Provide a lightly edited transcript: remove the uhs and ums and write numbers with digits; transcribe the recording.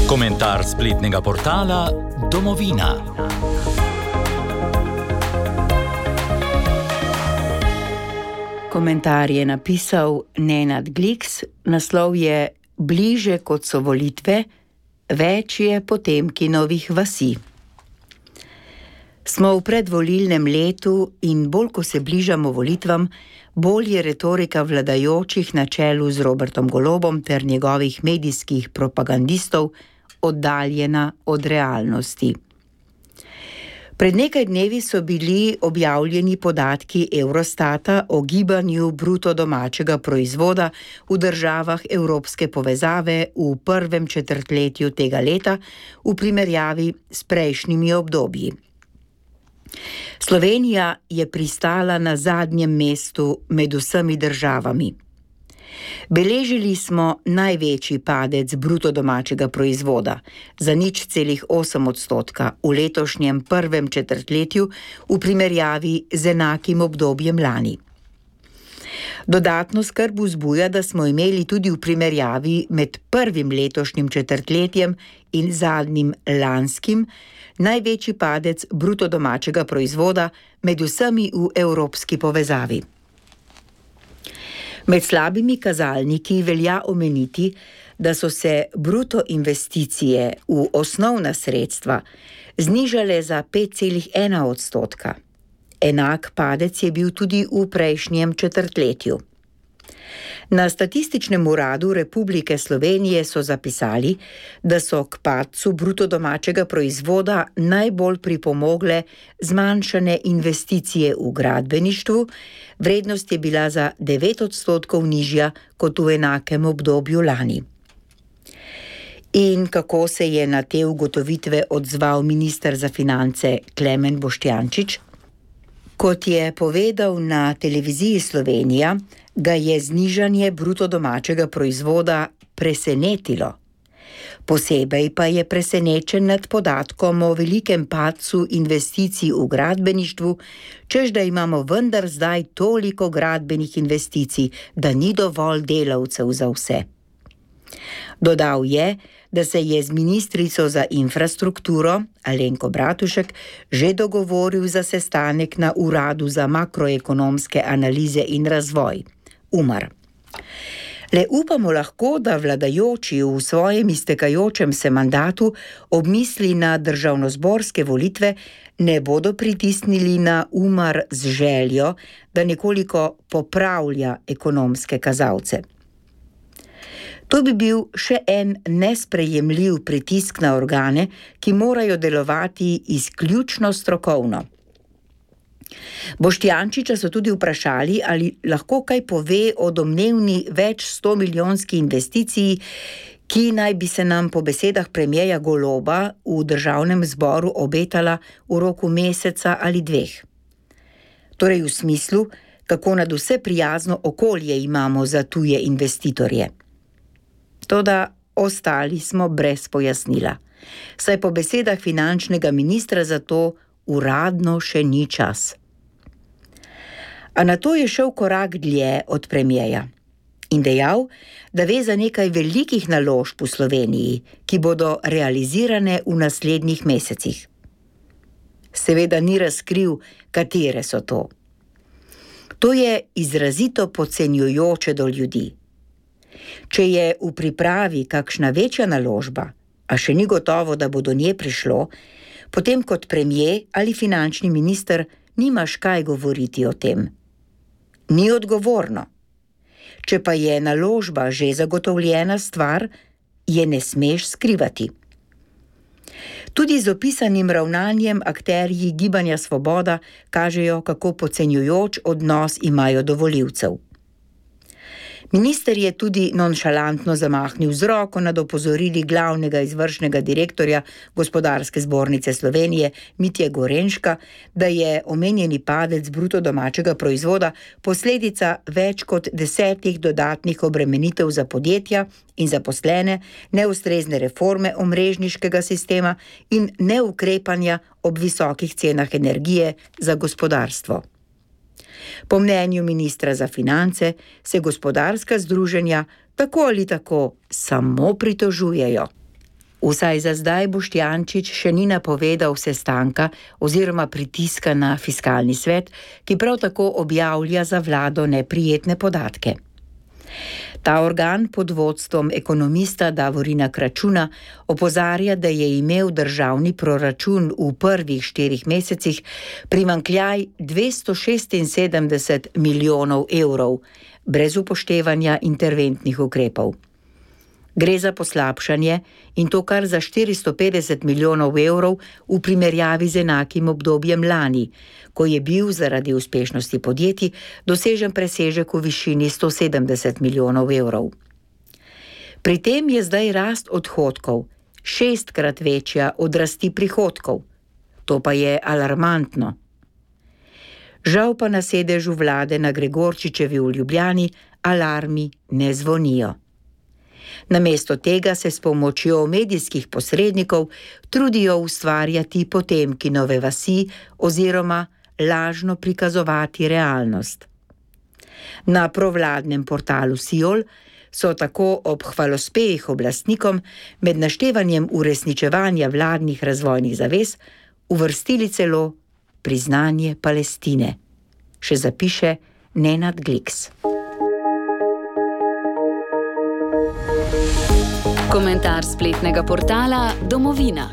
Komentar spletnega portala Domovina. Komentar je napisal Nenad Gliks, naslov je Bliže kot so volitve, več je Potemkinovih vasi. Smo v predvolilnem letu in bolj ko se bližamo volitvam, bolj je retorika vladajočih na čelu z Robertom Golobom ter njegovih medijskih propagandistov oddaljena od realnosti. Pred nekaj dnevi so bili objavljeni podatki Eurostata o gibanju bruto domačega proizvoda v državah evropske povezave v prvem četrtletju tega leta v primerjavi s prejšnjimi obdobji. Slovenija je pristala na zadnjem mestu med vsemi državami. Beležili smo največji padec bruto domačega proizvoda za 0,8% v letošnjem prvem četrtletju v primerjavi z enakim obdobjem lani. Dodatno skrb vzbuja, da smo imeli tudi v primerjavi med prvim letošnjim četrtletjem in zadnjim lanskim največji padec bruto domačega proizvoda med vsemi v evropski povezavi. Med slabimi kazalniki velja omeniti, da so se bruto investicije v osnovna sredstva znižale za 5,1%. Enak padec je bil tudi v prejšnjem četrtletju. Na Statističnem uradu Republike Slovenije so zapisali, da so k padcu bruto domačega proizvoda najbolj pripomogle zmanjšane investicije v gradbeništvu, vrednost je bila za 9% nižja kot v enakem obdobju lani. In kako se je na te ugotovitve odzval minister za finance Klemen Boštjančič? Kot je povedal na televiziji Slovenija, ga je znižanje bruto domačega proizvoda presenetilo. Posebej pa je presenečen nad podatkom o velikem padcu investicij v gradbeništvu, čež da imamo vendar zdaj toliko gradbenih investicij, da ni dovolj delavcev za vse. Dodal je, da se je z ministrico za infrastrukturo Alenko Bratušek že dogovoril za sestanek na Uradu za makroekonomske analize in razvoj, UMAR. Le upamo lahko, da vladajoči v svojem iztekajočem se mandatu ob misli na državnozborske volitve ne bodo pritisnili na UMAR z željo, da nekoliko popravlja ekonomske kazalce. To bi bil še en nesprejemljiv pritisk na organe, ki morajo delovati izključno strokovno. Boštjančiča so tudi vprašali, ali lahko kaj pove o domnevni več 100-milijonski investiciji, ki naj bi se nam po besedah premierja Goloba v državnem zboru obetala v roku meseca ali dveh. Torej v smislu, kako nadvse prijazno okolje imamo za tuje investitorje. Toda ostali smo brez pojasnila, saj po besedah finančnega ministra za to uradno še ni čas. A nato je šel korak dlje od premierja in dejal, da ve za nekaj velikih naložb v Sloveniji, ki bodo realizirane v naslednjih mesecih. Seveda ni razkril, katere so to. To je izrazito podcenjujoče do ljudi. Če je v pripravi kakšna večja naložba, a še ni gotovo, da bo do nje prišlo, potem kot premier ali finančni minister nimaš kaj govoriti o tem. Ni odgovorno. Če pa je naložba že zagotovljena stvar, je ne smeš skrivati. Tudi z opisanim ravnanjem akterji Gibanja Svoboda kažejo, kako podcenjujoč odnos imajo do volivcev. Minister je tudi nonšalantno zamahnil z roko nad opozorili glavnega izvršnega direktorja Gospodarske zbornice Slovenije Mitje Gorenška, da je omenjeni padec bruto domačega proizvoda posledica več kot 10 dodatnih obremenitev za podjetja in zaposlene, neustrezne reforme omrežniškega sistema in neukrepanja ob visokih cenah energije za gospodarstvo. Po mnenju ministra za finance se gospodarska združenja tako ali tako samo pritožujejo. Vsaj za zdaj Boštjančič še ni napovedal sestanka oziroma pritiska na fiskalni svet, ki prav tako objavlja za vlado neprijetne podatke. Ta organ pod vodstvom ekonomista Davorina Kračuna opozarja, da je imel državni proračun v prvih 4 mesecih primanjkljaj 276 milijonov evrov, brez upoštevanja interventnih ukrepov. Gre za poslabšanje in to kar za 450 milijonov evrov v primerjavi z enakim obdobjem lani, ko je bil zaradi uspešnosti podjetij dosežen presežek v višini 170 milijonov evrov. Pri tem je zdaj rast odhodkov 6-krat večja od rasti prihodkov. To pa je alarmantno. Žal pa na sedežu vlade na Gregorčičevi v Ljubljani alarmi ne zvonijo. Namesto tega se s pomočjo medijskih posrednikov trudijo ustvarjati Potemkinove vasi oziroma lažno prikazovati realnost. Na provladnem portalu Siol so tako ob hvalospevih oblastnikom med naštevanjem uresničevanja vladnih razvojnih zavez uvrstili celo priznanje Palestine. Še zapiše Nenad Gliks. Komentar spletnega portala Domovina.